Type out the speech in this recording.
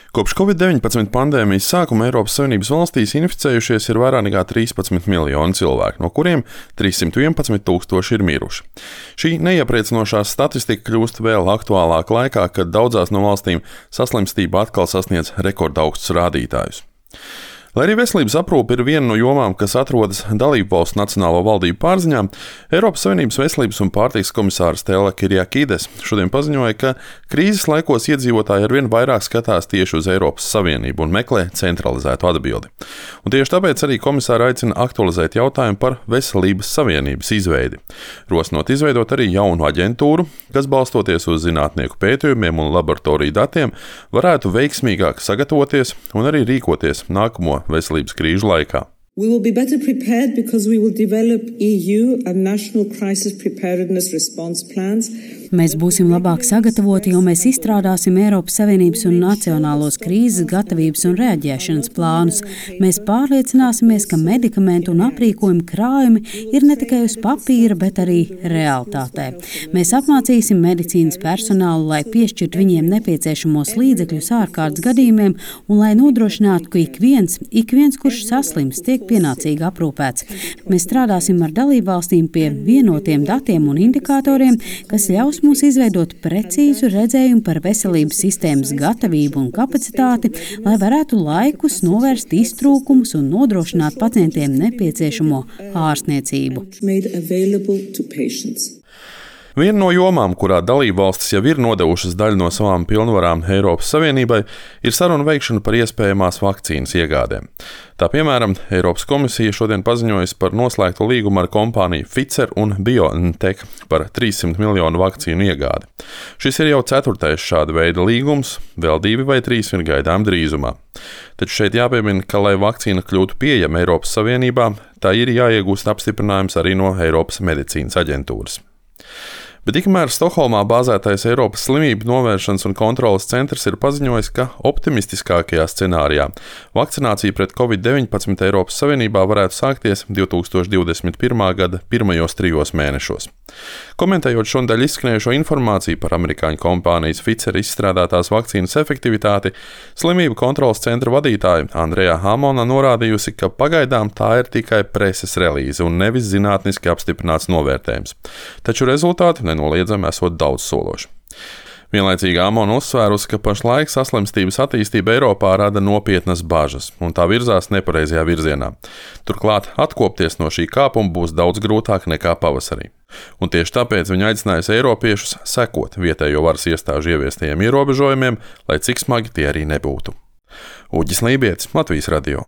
Kopš Covid-19 pandēmijas sākuma Eiropas Savienības valstīs inficējušies ir vairāk nekā 13 miljoni cilvēku, no kuriem 311 tūkstoši ir miruši. Šī neiepriecinošā statistika kļūst vēl aktuālāka laikā, kad daudzās no valstīm saslimstība atkal sasniedz rekordaugstus rādītājus. Lai arī veselības aprūpe ir viena no jomām, kas atrodas dalībvalstu nacionālo valdību pārziņā, Eiropas Savienības veselības un pārtikas komisāre Stella Kyriakides šodien paziņoja, ka krīzes laikos iedzīvotāji arvien vairāk skatās tieši uz Eiropas Savienību un meklē centralizētu atbildi. Un tieši tāpēc arī komisāre aicina aktualizēt jautājumu par veselības savienības izveidi, rosinot izveidot arī jaunu aģentūru, kas balstoties uz zinātnieku pētījumiem un laboratoriju datiem varētu veiksmīgāk sagatavoties un arī rīkoties nākamo veselības krīžu laikā. We will be better prepared because we will develop EU and national crisis preparedness response plans. Mēs būsim labāk sagatavoti, jo mēs izstrādāsim Eiropas Savienības un nacionālos krīzes gatavības un reaģēšanas plānus. Mēs pārliecināsimies, ka medikamentu un aprīkojumu krājumi ir ne tikai uz papīra, bet arī realitātē. Mēs apmācīsim medicīnas personālu, lai piešķirtu viņiem nepieciešamos līdzekļus ārkārtas gadījumiem un lai nodrošinātu, ka ik viens, kurš saslims, tiek pienācīgi aprūpēts. Mēs strādāsim ar dalībvalstīm pie vienotiem datiem un indikatoriem, kas ļaus mums izveidot precīzu redzējumu par veselības sistēmas gatavību un kapacitāti, lai varētu laikus novērst iztrūkumus un nodrošināt pacientiem nepieciešamo ārstniecību. Viena no jomām, kurā dalībvalstis jau ir nodevušas daļu no savām pilnvarām Eiropas Savienībai, ir sarunu veikšana par iespējamās vakcīnas iegādēm. Tā piemēram, Eiropas komisija šodien paziņojusi par noslēgtu līgumu ar kompāniju Pfizer un BioNTech par 300 miljonu vakcīnu iegādi. Šis ir jau 4. šāda veida līgums, vēl 2 vai 3 ir gaidām drīzumā. Taču šeit jāpiemina, ka, lai vakcīna kļūtu pieejama Eiropas Savienībā, tā ir jāiegūst apstiprinājums arī no Eiropas medicīnas aģentūras. Bet tikmēr Stokholmā bāzētais Eiropas slimību novēršanas un kontroles centrs ir paziņojis, ka optimistiskākajā scenārijā vakcinācija pret Covid-19 Eiropas Savienībā varētu sākties 2021. gada pirmajos 3 mēnešos. Komentējot šonadēļ izskanējušo informāciju par amerikāņu kompānijas Pfizer izstrādātās vakcīnas efektivitāti, slimību kontroles centra vadītāja Andreja Hamona norādījusi, ka pagaidām tā ir tikai preses relīze un nevis zinātniski apstiprināts novērtējums. Taču rezultāti nenoliedzami esot daudzsološi. Vienlaicīgi Amona uzsvērusi, ka pašlaik saslimstības attīstība Eiropā rada nopietnas bažas, un tā virzās nepareizajā virzienā. Turklāt atkopties no šī kāpuma būs daudz grūtāk nekā pavasarī. Un tieši tāpēc viņa aicinājusi eiropiešus sekot vietējo varas iestāžu ieviestajiem ierobežojumiem, lai cik smagi tie arī nebūtu. Uģis Lībietis, Latvijas radio.